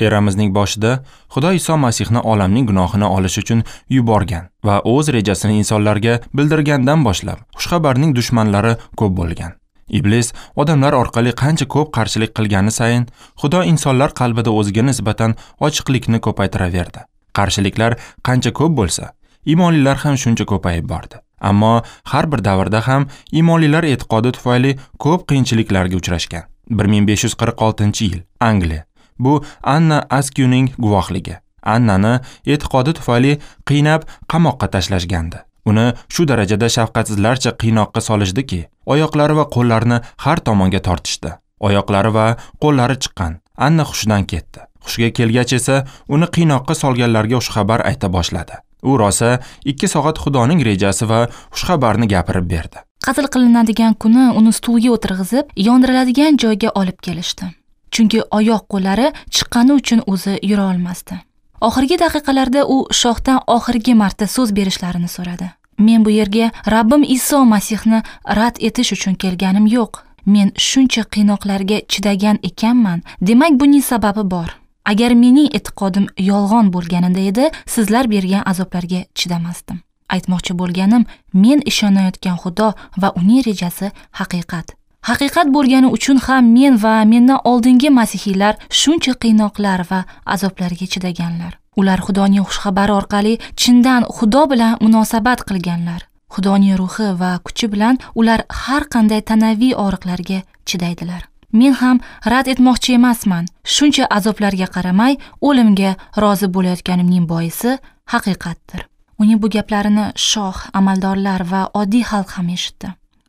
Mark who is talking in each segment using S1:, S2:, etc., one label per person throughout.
S1: Eramizning boshida Xudo Iso Masihni olamning gunohini olish uchun yuborgan va o'z rejasini insonlarga bildirgandan boshlab xushxabarning dushmanlari ko'p bo'lgan. Iblis odamlar orqali qancha ko'p qarshilik qilgani sayin Xudo insonlar qalbida o'ziga nisbatan ochiqlikni ko'paytiraverdi. Qarshiliklar qancha ko'p bo'lsa, iymonlilar ham shuncha ko'payib bordi. Ammo har bir davrda ham iymonlilar e'tiqodi tufayli ko'p qiyinchiliklarga uchrashgan. 1546-yil, Angliya. Bu Anna Askyuning guvohligi. Annani e'tiqodi tufayli qiynab qamoqqa tashlashgandi. Uni shu darajada shafqatsizlarcha qiynoqqa solishdiki, oyoqlari va qo'llarini har tomonga tortishdi. Oyoqlari va qo'llari chiqqan. Anna hushidan ketdi. Hushiga kelgach esa uni qiynoqqa solganlarga xushxabar ayta boshladi. U rosa 2 soat Xudoning rejasi va xushxabarni gapirib berdi.
S2: Qatl qilinadigan kuni uni stulga o'tirg'izib, yondiriladigan joyga olib kelishdi. Chunki oyoq qo'llari chiqqani uchun o'zi yura olmasdi. Oxirgi daqiqalarda u shohdan oxirgi marta so'z berishlarini so'radi. Men bu yerga Rabbim Iso Masihni rad etish uchun kelganim yo'q. Men shuncha qiynoqlarga chidagan ekanman, demak buning sababi bor. Agar mening e'tiqodim yolg'on bo'lganida edi, sizlar bergan azoblarga chidamasdim. Aytmoqchi bo'lganim, men ishonayotgan Xudo va uning rejasi haqiqat. Haqiqat bo'lgani uchun ham men va mendan oldingi masihiylar shuncha qiynoqlar va azoblarga chidaganlar. Ular Xudoning xushxabari orqali chindan Xudo bilan munosabat qilganlar. Xudoning ruhi va kuchi bilan ular har qanday tanaviy og'riqlarga chidaydilar. Men ham rad etmoqchi emasman. Shuncha azoblarga qaramay o'limga rozi bo'layotganimning boisi haqiqatdir. Uning bu gaplarini shoh, amaldorlar va oddiy xalq ham eshitdi.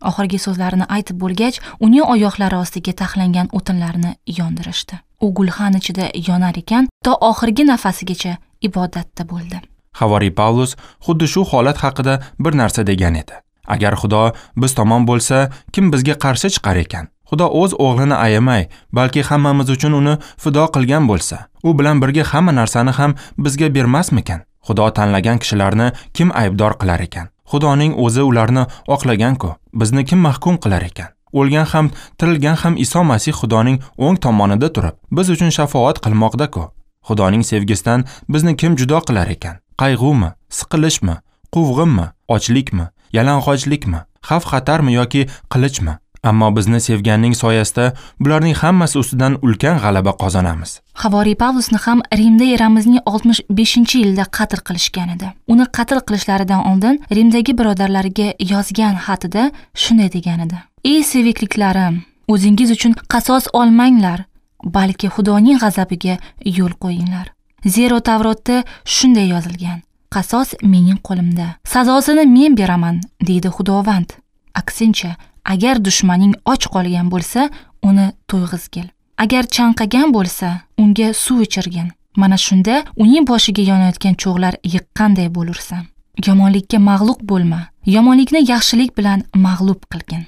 S2: Oxirgi so'zlarini aytib bo'lgach, uning oyoqlari ostiga taxlangan o'tinlarni yondirishdi. U gulxan ichida yonar ekan, to oxirgi nafasigacha ibodatda bo'ldi.
S1: Havoriy Pavlus xuddi shu holat haqida bir narsa degan edi. Agar Xudo biz tomon bo'lsa, kim bizga qarshi chiqar ekan? Xudo o'z o'g'lini ayamay, balki hammamiz uchun uni fido qilgan bo'lsa, u bilan birga hamma narsani ham bizga bermasmikan? Xudo tanlagan kishilarni kim aybdor qilar ekan? Xudoning o'zi ularni oqlagan-ku, bizni kim mahkum qilar ekan? O'lgan ham, tirilgan ham Iso Masih Xudoning o'ng tomonida turib, biz uchun shafoat qilmoqda-ku. Xudoning sevgisidan bizni kim judo qilar ekan? Qayg'umi, siqilishmi, quvg'inmi, ochlikmi, yalang'ochlikmi, xavf-xatarmi yoki qilichmi? Ammo bizni sevganning soyasida bularning hammasi ustidan ulkan g'alaba qozonamiz.
S2: Havoriy Pavlusni ham Rimda eramizning 65-yilida qatl qilishgan edi. Uni qatl qilishlaridan oldin Rimdagi birodarlariga yozgan xatida shunday degan edi: "Ey sevikliklarim, o'zingiz uchun qasos olmanglar, balki Xudoning g'azabiga yo'l qo'yinglar. Zero Tavrotda shunday yozilgan: qasos mening qo'limda, sazosini men beraman, deydi Xudovand. Aksincha, agar dushmaning och qolgan bo'lsa, uni to'yg'izgil. Agar chanqagan bo'lsa, unga suv ichirgin. Mana shunda uning boshiga yonayotgan cho'g'lar yiqqanday bo'lursan. Yomonlikka mag'lub bo'lma, yomonlikni yaxshilik bilan mag'lub qilgin."